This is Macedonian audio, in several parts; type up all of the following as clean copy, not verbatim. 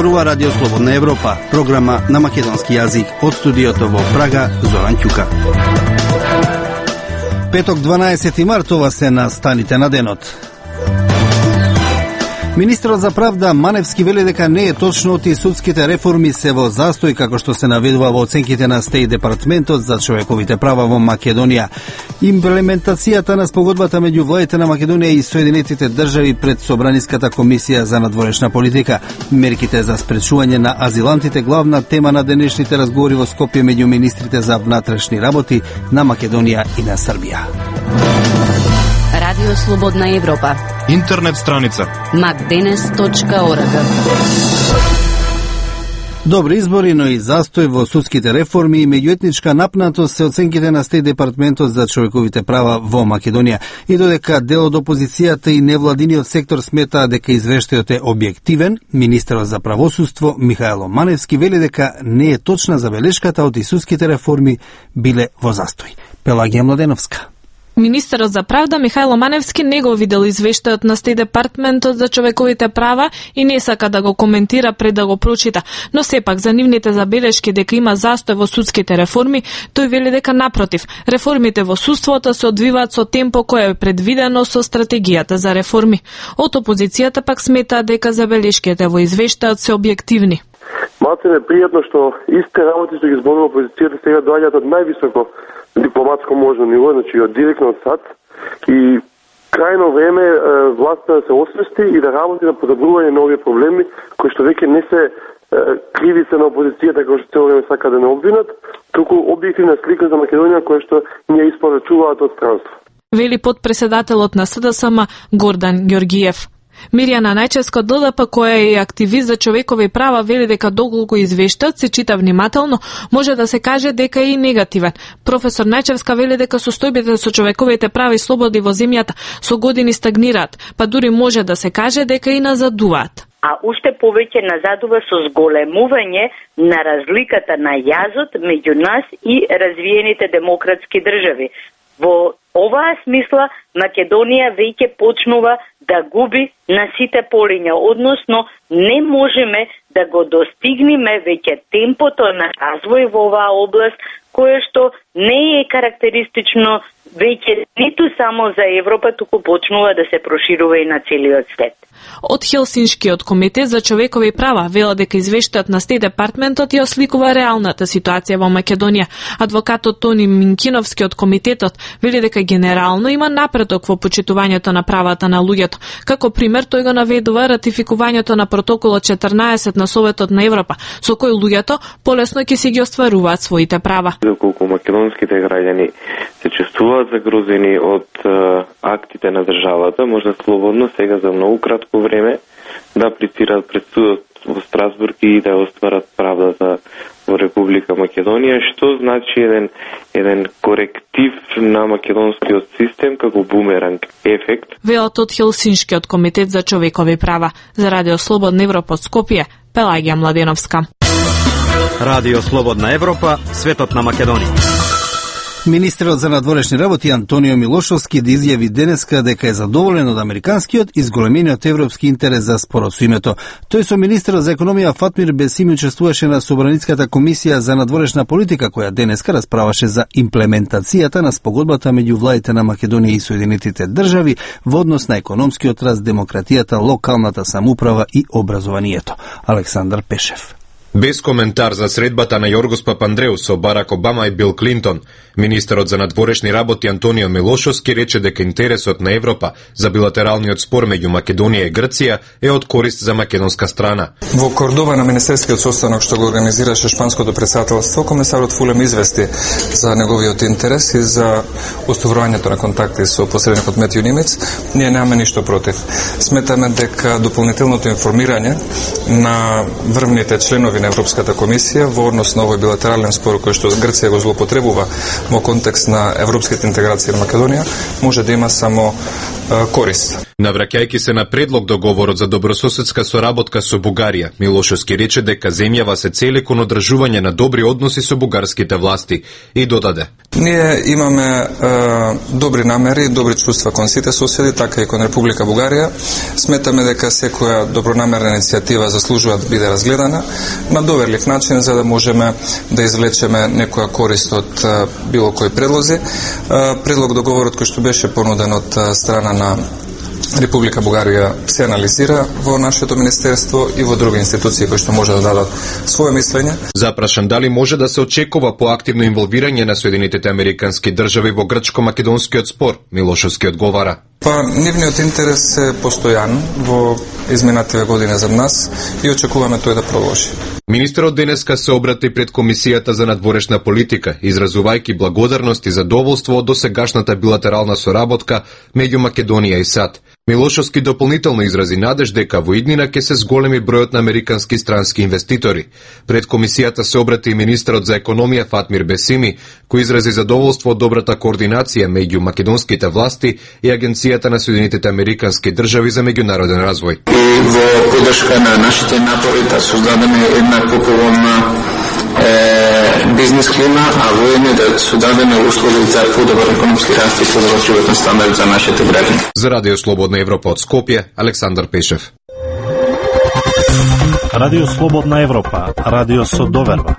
Зборува Радио Слободна Европа, програма на македонски јазик од студиото во Прага, Зоран Ќука. Петок 12 март, ова се настаните на денот. Министерот за правда Маневски вели дека не е точно оти судските реформи се во застој, како што се наведува во оценките на Стеј департментот за човековите права во Македонија. Имплементацијата на спогодбата меѓу владите на Македонија и Соединетите држави пред Собраниската комисија за надворешна политика. Мерките за спречување на азилантите главна тема на денешните разговори во Скопје меѓу министрите за внатрешни работи на Македонија и на Србија. Радио Слободна Европа. Интернет страница macdenes.org. Добри избори, но и застој во судските реформи и меѓуетничка напнатост се оценките на Стеј департментот за човековите права во Македонија. И додека дел од опозицијата и невладиниот сектор сметаа дека извештајот е објективен, министерот за правосудство Михајло Маневски вели дека не е точна забелешката од и судските реформи биле во застој. Пелагија Младеновска. Министерот за правда Михајло Маневски не го видел извештајот на Стеј департментот за човековите права и не сака да го коментира пред да го прочита, но сепак за нивните забелешки дека има застој во судските реформи, тој вели дека напротив, реформите во судството се одвиваат со темпо кое е предвидено со стратегијата за реформи. Од опозицијата пак сметаат дека забелешките во извештајот се објективни. Малце ме пријатно што истите работи што ги зборува опозицијата сега доаѓаат од највисоко дипломатско можно ниво, значи од директно од САД, и крајно време властта да се освести и да работи на подобрување на овие проблеми кои што веќе не се кривица на опозицијата кои што цело време сака да не обвинат, туку објективна слика за Македонија која што ние испорачуваат од странство. Вели подпредседателот на СДСМ Гордан Ѓоргиев. Мирјана Најчевска од ЛДП, која е активист за човекови права, вели дека доколку извештајот се чита внимателно, може да се каже дека е и негативен. Професор Најчевска вели дека состојбите со човековите права и слободи во земјата со години стагнираат, па дури може да се каже дека и назадуваат. А уште повеќе назадува со зголемување на разликата на јазот меѓу нас и развиените демократски држави. Во оваа смисла Македонија веќе почнува да губи на сите полиња, односно не можеме да го достигнеме веќе темпото на развој во оваа област, кое што не е карактеристично веќе ниту само за Европа, туку почнува да се проширува и на целиот свет. Од Хелсиншкиот комитет за човекови права вела дека извештајот на Стеј департментот ја осликува реалната ситуација во Македонија. Адвокатот Тони Минкиновски од комитетот вели дека генерално има напредок во почитувањето на правата на луѓето. Како пример тој го наведува ратификувањето на протоколот 14 на Советот на Европа, со кој луѓето полесно ќе си ги остваруваат своите права. Доколку македонските граѓани се чувствуваат загрозени од актите на државата, може слободно сега за многу кратко време да аплицираат пред судот во Страсбург и да остварат правдата во Република Македонија, што значи еден коректив на македонскиот систем како бумеранг ефект. Велат од Хелсиншкиот комитет за човекови права. За Радио Слободна Европа од Скопје, Пелагија Младеновска. Радио Слободна Европа, светот на Македонија. Министерот за надворешни работи Антонио Милошовски да изјави денеска дека е задоволен од американскиот и зголемениот европски интерес за спорот со името. Тој со министерот за економија Фатмир Бесими учествуваше на Собраниската комисија за надворешна политика, која денеска расправаше за имплементацијата на спогодбата меѓу владите на Македонија и Соединетите држави во однос на економскиот раст, демократијата, локалната самоуправа и образованието. Александар Пешев. Без коментар за средбата на Јоргос Папандреу со Барак Обама и Бил Клинтон, министерот за надворешни работи Антонио Милошовски рече дека интересот на Европа за билатералниот спор меѓу Македонија и Грција е од корист за македонска страна. Во Кордова на министерскиот состанок што го организираше шпанското претседателство, комесарот Фулем извести за неговиот интерес и за уставувањето на контакти со посредникот Метју Нимец. Ние немаме ништо против. Сметаме дека дополнителното информирање на врвните членови на Европската комисија во однос на овој билатерален спор кој што Грција го злоупотребува во контекст на европските интеграции на Македонија може да има само корист. Навраќајќи се на предлог договорот за добрососедска соработка со Бугарија, Милошовски рече дека земјава се цели кон одржување на добри односи со бугарските власти и додаде: Ние имаме добри намери, добри чувства кон сите соседи, така и кон Република Бугарија. Сметаме дека секоја добронамерна иницијатива заслужува да биде разгледана на доверлив начин за да можеме да извлечеме некоја корист од било кои предлози. Предлог договорот кој што беше понуден од страна на Република Бугарија се анализира во нашето министерство и во други институции кои што може да дадат своје мислење. Запрашан дали може да се очекува поактивно инволвирање на Соединетите американски држави во грчко-македонскиот спор, Милошовски одговара: Нивниот интерес е постојан во изминативе години за нас и очекуваме тој да продолжи. Министерот денеска се обрати пред Комисијата за надворешна политика, изразувајќи благодарност и задоволство од досегашната билатерална соработка меѓу Македонија и САД. Милошовски дополнително изрази надеж дека во иднина ќе се зголеми бројот на американски странски инвеститори. Пред Комисијата се обрати и министерот за економија Фатмир Бесими, кој изрази задоволство од добрата координација меѓу македонските власти и Агенцијата на Соединетите американски држави за меѓународен развој. И во поддршка на нашите напори да создадеме една поголемна бизнес клима, а воедно да создадеме услови за подобар економски раст и подобар животен стандард за нашите граѓани. За Радио Слободна Европа од Скопје, Александар Пешев. Радио Слободна Европа, радио со доверба.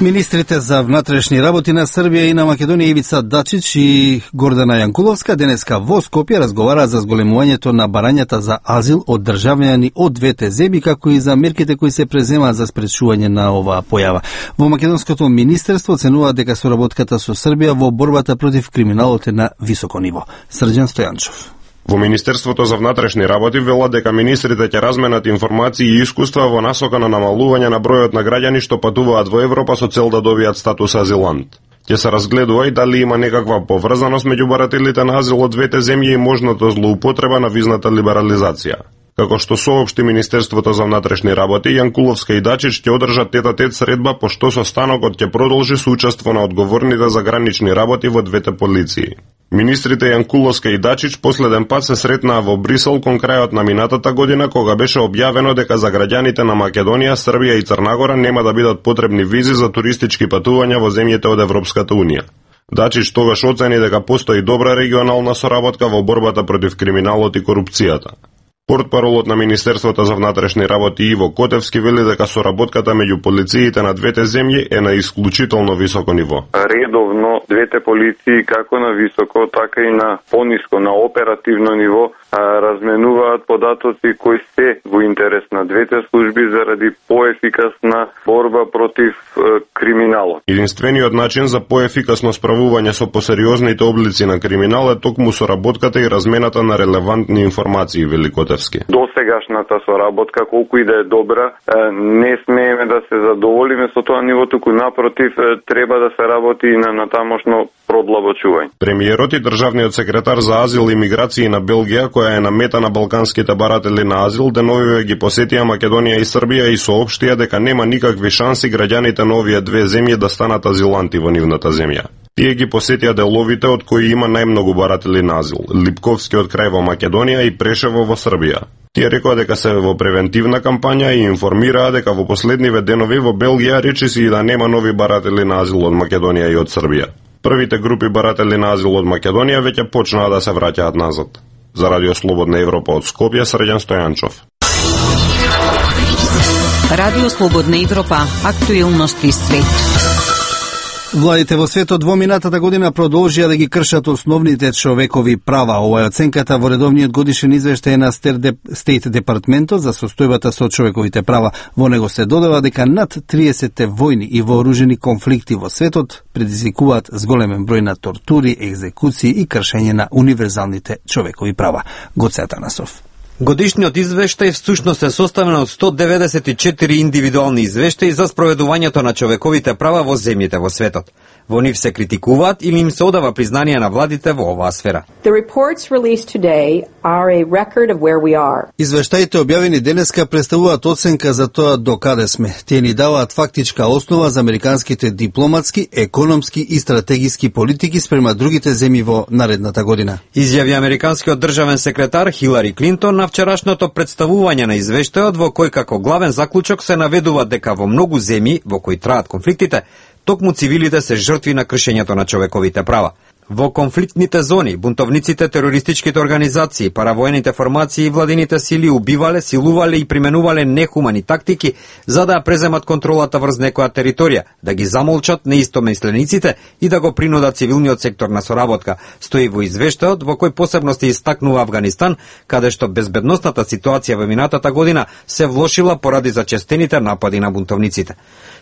Министрите за внатрешни работи на Србија и на Македонија Ивица Дачич и Гордана Јанкуловска денеска во Скопје разговараат за зголемувањето на барањата за азил од државјани од двете земји, како и за мерките кои се преземаат за спречување на оваа појава. Во Македонското министерство оценуваат дека соработката со Србија во борбата против криминалот е на високо ниво. Срđan Стојанчов. Во Министерството за внатрешни работи велат дека министрите ќе разменат информации и искуства во насока на намалување на бројот на граѓани што патуваат во Европа со цел да добијат статус азилант. Ќе се разгледува и дали има некаква поврзаност меѓу барателите на азил од двете земји и можната злоупотреба на визната либерализација. Како што соопшти Министерството за внатрешни работи, Јанкуловска и Дачич ќе одржат тет-а-тет средба, пошто состанокот ќе продолжи со учество на одговорните за гранични работи во двете полиции. Министрите Јанкуловска и Дачич последен пат се сретнаа во Брисел кон крајот на минатата година, кога беше објавено дека за граѓаните на Македонија, Србија и Црнагора нема да бидат потребни визи за туристички патувања во земјите од Европската унија. Дачич тогаш оцени дека постои добра регионална соработка во борбата против криминалот и корупцијата. Портпаролот на Министерството за внатрешни работи Иво Котевски вели дека соработката меѓу полициите на двете земји е на исклучително високо ниво. Редовно двете полиции како на високо, така и на пониско, на оперативно ниво разменуваат податоци кои се во интерес на двете служби заради поефикасна борба против криминалот. Единствениот начин за поефикасно справување со посериозните облици на криминал е токму соработката и размената на релевантни информации, вели Котевски. Досегашната соработка, колку и да е добра, не смееме да се задоволиме со тоа ниво, туку напротив треба да се работи и на натамошно продлабочување. Премиерот и државниот секретар за азил и миграција на Белгија, која е на мета на балканските баратели на азил, деновиве ги посетија Македонија и Србија и соопштија дека нема никакви шанси граѓаните на овие две земји да станат азиланти во нивната земја. Тие ги посетија деловите од кои има најмногу баратели на азил, Липковскиот крај во Македонија и Прешево во Србија. Тие рекоа дека се во превентивна кампања и информираа дека во последниве денови во Белгија речиси и да нема нови баратели на азил од Македонија и од Србија. Првите групи баратели на азил од Македонија веќе почнаа да се враќаат назад. За Радио Слободна Европа од Скопје, Срđan Стојанчов. Радио Слободна Европа, актуелности свет. Владите во светот во минатата година продолжија да ги кршат основните човекови права. Ова е оценката во редовниот годишен извештај на Стейт Департментот за состојбата со човековите права. Во него се додава дека над 30 војни и вооружени конфликти во светот предизвикуваат зголемен број на тортури, екзекуции и кршење на универзалните човекови права. Гоце Атанасов. Годишниот извештај всушност е составен од 194 индивидуални извештаи за спроведувањето на човековите права во земјите во светот. Во нив се критикуваат или им се одава признание на владите во оваа сфера. Извештаите објавени денеска представуваат оценка за тоа до каде сме. Тие ни даваат фактичка основа за американските дипломатски, економски и стратегиски политики спрема другите земји во наредната година. Изјави американскиот државен секретар Хилари Клинтон на вчерашното представување на извештајот, во кој како главен заклучок се наведува дека во многу земји во кои траат конфликтите, токму цивилите се жртви на кршењето на човековите права. Во конфликтните зони, бунтовниците, терористичките организации, паравоените формации и владините сили убивале, силувале и применувале нехумани тактики за да преземат контролата врз некоја територија, да ги замолчат неистомислениците и да го принудат цивилниот сектор на соработка, стои во извештајот во кој посебно се истакнува Авганистан, каде што безбедносната ситуација во минатата година се влошила поради зачестените напади на бунтовниците.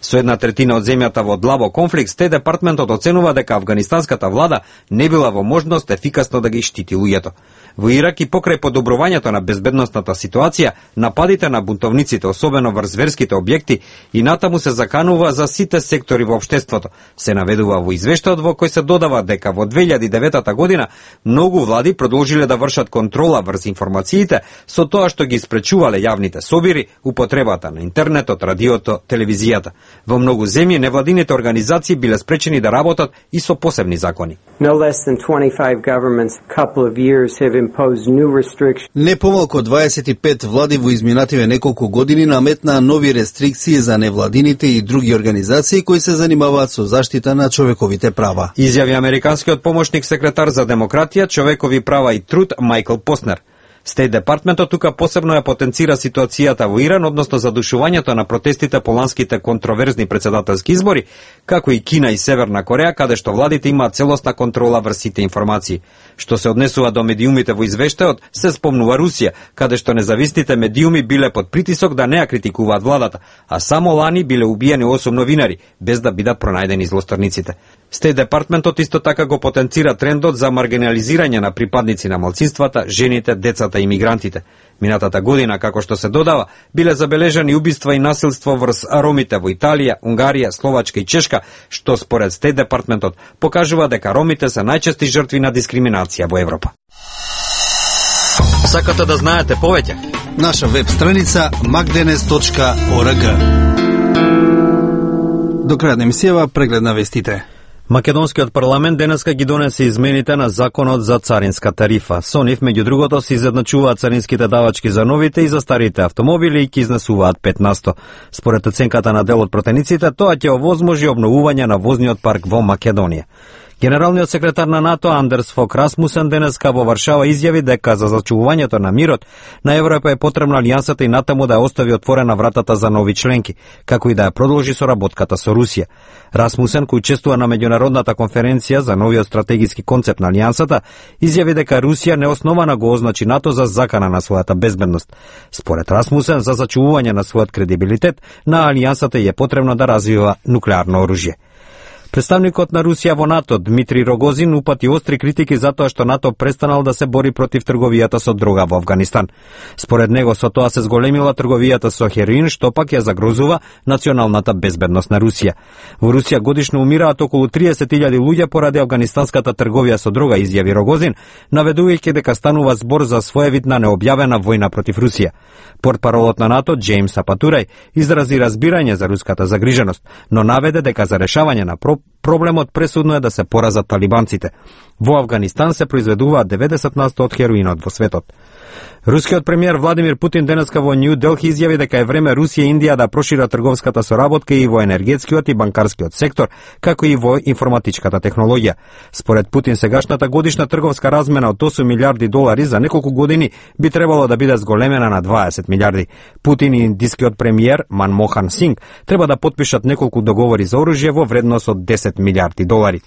Со 1/3 од земјата во длабок конфликт, Стејт департментот оценува дека афганистанската влада не била во можност ефикасно да ги штити луѓето. Во Ирак и покрај подобрувањето на безбедносната ситуација, нападите на бунтовниците, особено врз верските објекти, и натаму се заканува за сите сектори во општеството. Се наведува во извештајот во кој се додава дека во 2009 година многу влади продолжиле да вршат контрола врз информациите со тоа што ги спречувале јавните собири, употребата на интернетот, радиото, телевизијата. Во многу земји невладините организации биле спречени да работат и со посебни закони. Не помалку 25 влади во изминативе неколку години наметнаа нови рестрикции за невладините и други организации кои се занимаваат со заштита на човековите права. Изјави американскиот помошник секретар за демократија, човекови права и труд Майкл Поснер. Стејт департментот тука посебно ја потенцира ситуацијата во Иран, односно задушувањето на протестите по ланските контроверзни претседателски избори, како и Кина и Северна Кореја, каде што владите имаат целосна контрола врз сите информации. Што се однесува до медиумите во извештајот, се спомнува Русија, каде што независните медиуми биле под притисок да не ја критикуваат владата, а само лани биле убиени 8 новинари, без да бидат пронајдени злосторниците. Стејт департментот исто така го потенцира трендот за маргинализирање на припадници на малцинствата, жените, децата и мигрантите. Минатата година, како што се додава, биле забележани убиства и насилство врз ромите во Италија, Унгарија, Словачка и Чешка, што според Стејт департментот покажува дека ромите се најчести жртви на дискриминација во Европа. Сакате да знаете повеќе? Наша веб страница magdenes.org. До крај на емисијава преглед на вестите. Македонскиот парламент денеска ги донесе измените на законот за царинска тарифа. Со нив, меѓу другото, се изедначуваат царинските давачки за новите и за старите автомобили и ќе изнесуваат 15%. Според оценката на дел од протениците, тоа ќе овозможи обновување на возниот парк во Македонија. Генералниот секретар на НАТО Андерс Фок Расмусен денеска во Варшава изјави дека за зачувувањето на мирот на Европа е потребна алијансата и натаму да ја остави отворена вратата за нови членки, како и да ја продолжи соработката со Русија. Расмусен, кој учествува на меѓународната конференција за новиот стратегиски концепт на алијансата, изјави дека Русија неосновано го означи НАТО за закана на својата безбедност. Според Расмусен, за зачувување на својот кредибилитет, на алијансата е потребно да развива нуклеарно оружје. Представникот на Русија во НАТО, Дмитрий Рогозин, упати остри критики за тоа што НАТО престанал да се бори против трговијата со дрога во Авганистан. Според него, со тоа се зголемила трговијата со хероин, што пак ја загрозува националната безбедност на Русија. Во Русија годишно умираат околу 30.000 луѓе поради афганистанската трговија со дрога, изјави Рогозин, наведувајќи дека станува збор за своевидна необјавена војна против Русија. Портпаролот на НАТО, Джеймс Апатурај, изрази разбирање за руската загриженост, но наведе дека за решавање на проблемот пресудно е да се поразат талибанците. Во Авганистан се произведуваат 90% од хероинот во светот. Рускиот премиер Владимир Путин денеска во Нью Делхи изјави дека е време Русија и Индија да прошират трговската соработка и во енергетскиот и банкарскиот сектор, како и во информатичката технологија. Според Путин, сегашната годишна трговска размена од 8 милиарди долари за неколку години би требало да биде зголемена на 20 милиарди. Путин и индискиот премиер Манмохан Синг треба да потпишат неколку договори за оружје во вредност од 10 милиарди долари.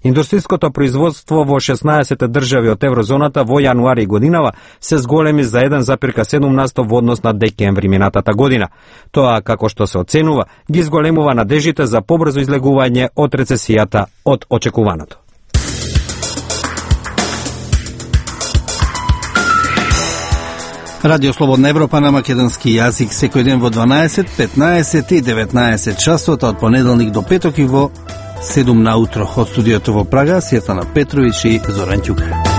Индустријското производство во 16 држави од еврозоната во јануари годинава се зголеми за 1,7% во однос на декември минатата година. Тоа, како што се оценува, ги зголемува надежите за побрзо излегување од рецесијата од очекуваното. Радио Слободна Европа на македонски јазик секој ден во 12, 15 и 19 часот од понеделник до петок и во 7 наутро. Од студиото во Прага, Светлана Петрович и Зоран Ќука.